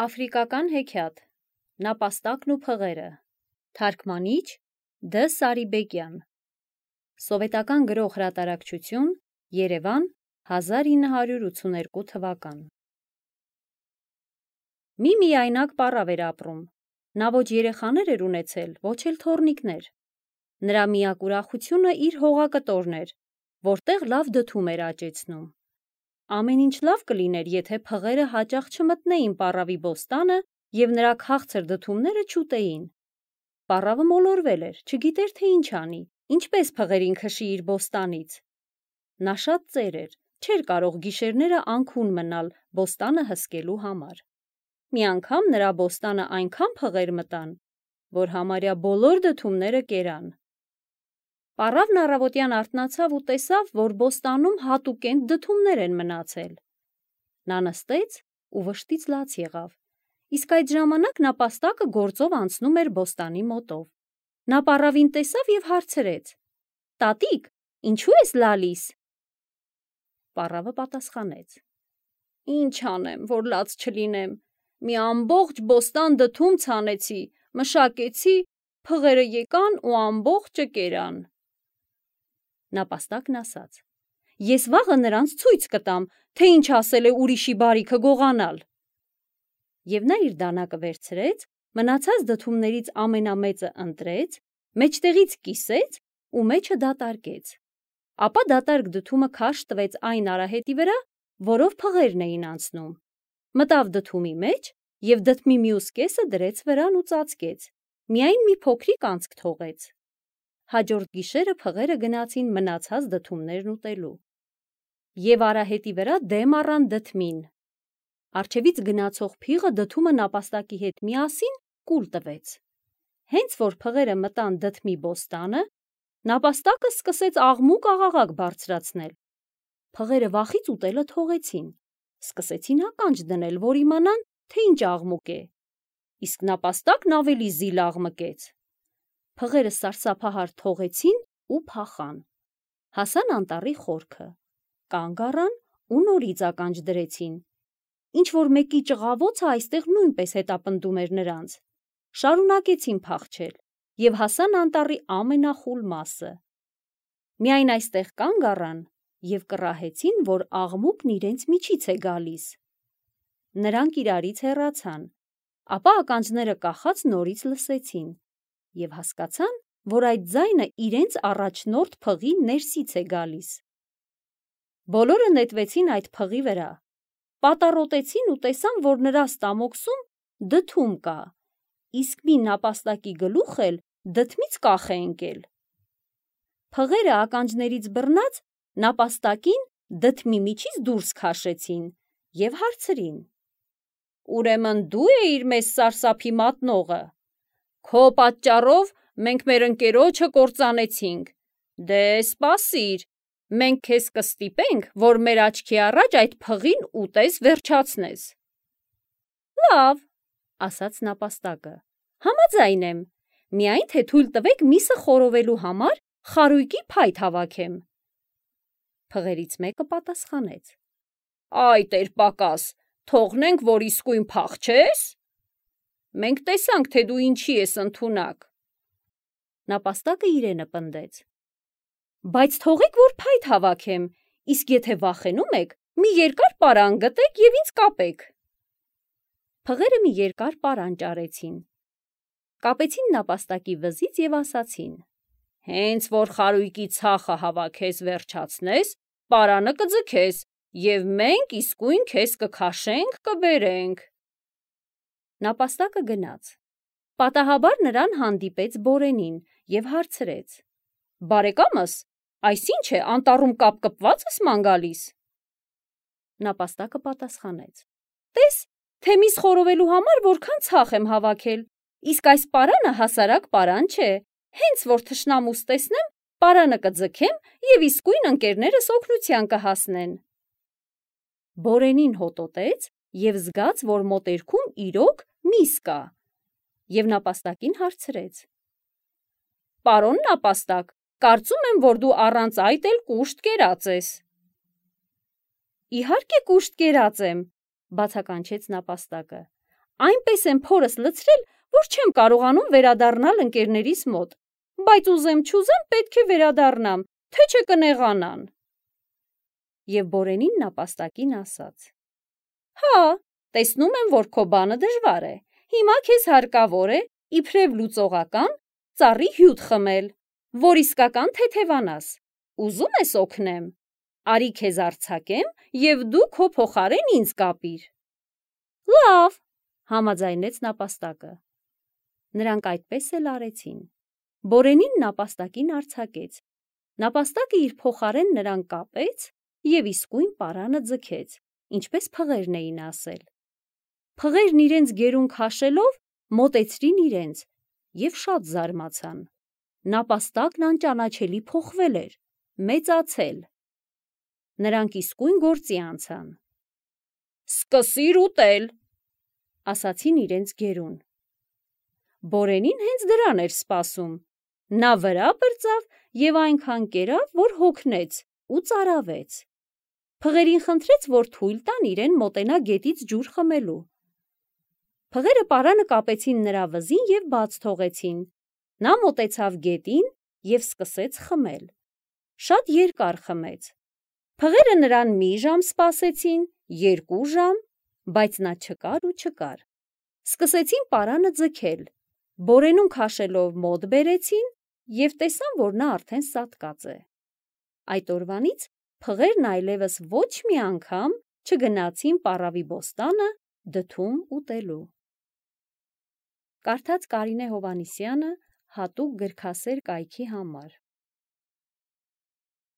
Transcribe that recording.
Աֆրիկական հեքիաթ, նապաստակն ու փղերը, թարգմանիչ Դ. Սարիբեկյան, սովետական գրող հրատարակչություն, Երևան, 1982 թվական։ Մի միայնակ պառավ էր ապրում, նա ոչ երեխաներ էր ունեցել, ոչ էլ թոռնիկներ, նրա միակ ուրախությունը իր հողակտորն էր, որտեղ լավ դդում էր աճեցնում։ Ամեն ինչ լավ կլիներ, եթե փղերը հաճախ չմտնեին պառավի բոստանը և նրա քաղցր դդումները չուտեին։ Պառավը մոլորվել էր, չգիտեր թե ինչ անի, ինչպես փղերին քշի իր բոստանից։ Նա շատ ծեր էր, չէր կարող գիշերները անքուն մնալ բոստանը հսկելու համար։ Մի անգամ նրա բոստանը այնքան փղեր մտան, որ համարյա բոլոր դդումները կերան։ Պառավն առավոտյան արթնացավ ու տեսավ, որ բոստանում հատուկենտ դդումներ են մնացել։ Նա նստեց ու վշտից լաց եղավ, իսկ այդ ժամանակ նապաստակը գործով անցնում էր բոստանի մոտով։ Նա պառավին տեսավ և հարցրեց. «Տատիկ, ինչու ես լալիս»։ Պառավը պատասխանեց. «Ինչ անեմ, որ լաց չլինեմ, մի ամբողջ բոստան դդում ցանեցի, մշակեցի, փղերը եկան ու ամբողջը կերան»։ Նապաստակն ասաց. «Ես վաղը նրանց ցույց կտամ, թե ինչ ասել է ուրիշի բարիքը գողանալ»։ Եվ նա իր դանակը վերցրեց, մնացած դդումներից ամենամեծը ընտրեց, մեջտեղից կիսեց ու մեջը դատարկեց։ Ապա դատարկ դդումը քարշ տվեց այն արահետի վրա, որով փղերն էին անցնում, մտավ դդումի մեջ և դդմի մյուս կեսը դրեց վրան ու ծածկեց, միայն մի փոքրիկ անցք թողեց։ Հաջորդ գիշերը փղերը գնացին մնացած դդումներն ուտելու։ Եվ արահետի վրա դեմ առան դդմին։ Առջևից գնացող փիղը դդումը նապաստակի հետ միասին կուլ տվեց։ Հենց որ փղերը մտան դդմի բոստանը, նապաստակը սկսեց աղմուկ-աղաղակ բարձրացնել։ Փղերը վախից ուտելը թողեցին, սկսեցին ականջ դնել, որ իմանան, թե ինչ աղմուկ է, իսկ նապաստակն ավելի զիլ աղմկեց։ Փղերը սարսափահար թողեցին ու փախան։ Հասան անտառի խորքը, կանգ առան ու նորից ականջ դրեցին։ Ինչ-որ մեկի ճղավոցը այստեղ նույնպես հետապնդում էր նրանց։ Շարունակեցին փախչել և հասան անտառի ամենախուլ մասը։ Միայն այստեղ կանգ առան և կռահեցին, որ աղմուկն իրենց միջից է գալիս։ Նրանք իրարից հեռացան, ապա ականջները կախած նորից լսեցին և հասկացան, որ այդ ձայնը իրենց առաջնորդ փղի ներսից է գալիս։ Բոլորը նետվեցին այդ փղի վրա, պատառոտեցին ու տեսան, որ նրա ստամոքսում դդում կա, իսկ մի նապաստակի գլուխ էլ դդմից կախ է ընկել։ Փղերը ականջներից բռնած նապաստակին դդմի միջից դուրս քաշեցին և հարցրին. «Ուրեմն դու էիր մեզ սարսափի մատնողը։ Քո պատճառով մենք մեր ընկերոջը կործանեցինք։ Դե սպասիր, մենք քեզ կստիպենք, որ մեր աչքի առաջ այդ փղին ուտես վերջացնես»։ «Լավ», ասաց նապաստակը, «համաձայն եմ, միայն թե թույլ տվեք միսը խորովելու համար խարույկի փայտ հավաքեմ»։ Փղերից մեկը պատասխանեց. «Այ տեր-պակաս, թողնենք, որ իսկույն փախչե՞ս։ Մենք տեսանք, թե դու ինչի ես ընդունակ»։ Նապաստակը իրենը պնդեց. «Բայց թողեք, որ փայտ հավաքեմ, իսկ եթե վախենում եք, մի երկար պարան գտեք և ինձ կապեք»։ Փղերը մի երկար պարան ճարեցին, կապեցին նապաստակի վզից և ասացին. «Հենց որ խարույկի ցախը հավաքես վերջացնես, պարանը կձգես և մենք իսկույն քեզ կքաշենք, կբերենք»։ Նապաստակը գնաց։ Պատահաբար նրան հանդիպեց Բորենին և հարցրեց. «Բարեկամս, այս ի՞նչ է, անտառում կապկպված ես ման գալիս»։ Նապաստակը պատասխանեց. «Տես, թե միս խորովելու համար որքան ցախ եմ հավաքել, իսկ այս պարանը հասարակ պարան չէ, հենց որ թշնամուս տեսնեմ, պարանը կձգեմ և իսկույն ընկերներս օգնության կհասնեն»։ Բորենին հոտոտեց և զգաց, որ մոտերքում իրոք միս կա, և նապաստակին հարցրեց. «Պարոն նապաստակ, կարծում եմ, որ դու առանց այդ էլ կուշտ կերած ես»։ «Իհարկե կուշտ կերած եմ», բացականչեց նապաստակը, Այնպես եմ փորս լցրել, որ չեմ կարողանում վերադառնալ ընկերներիս մոտ, բայց ուզեմ չուզեմ պետք է վերադառնամ, թե չէ կնեղանան։ Եվ Բորենին նապաստակին ասաց. Հա, տեսնում եմ, որ քո բանը դժվար է, հիմա քեզ հարկավոր է, իբրև լուծողական, ծառի հյութ խմել, որ իսկական թեթևանաս, ուզում ես օգնեմ, արի քեզ արձակեմ և դու քո փոխարեն ինձ կապիր։ Լավ, համաձայնեց նապաստակը։ Նրանք այդպես էլ արեցին։ Բորենին նապաստակին արձակեց, նապաստակը իր փոխարեն նրան կապեց և իսկույն պարանը ձգեց, ինչպես փղերն էին ասել։ Փղերն իրենց գերուն քաշելով մոտեցրին իրենց և շատ զարմացան։ Նապաստակն անճանաչելի փոխվել էր, մեծացել։ Նրանք իսկույն գործի անցան։ Սկսիր ուտել, ասացին իրենց գերուն։ Բորենին հենց դրան էր սպասում։ Նա վրա բրծավ և այնքան կերավ, որ հոգնեց ու ծարավեց։ Փղերին խնդրեց, որ թույլ տան իրեն մոտենա գետից ջուր խմելու։ Փղերը պարանը կապեցին նրա վզին և բաց թողեցին։ Նա մոտեցավ գետին և սկսեց խմել։ Շատ երկար խմեց։ Փղերը նրան մի ժամ սպասեցին, 2 ժամ, բայց նա չկար ու չկար։ Սկսեցին պարանը ձգել, Բորենուն քաշելով մոտ բերեցին և տեսան, որ նա արդեն սատկած է։ Այդ օրվանից փղերն այլևս ոչ մի անգամ չգնացին պառավի բոստանը դդում ուտելու։ Կարդաց Կարինե Հովհաննիսյանը հատուկ գրքասեր կայքի համար։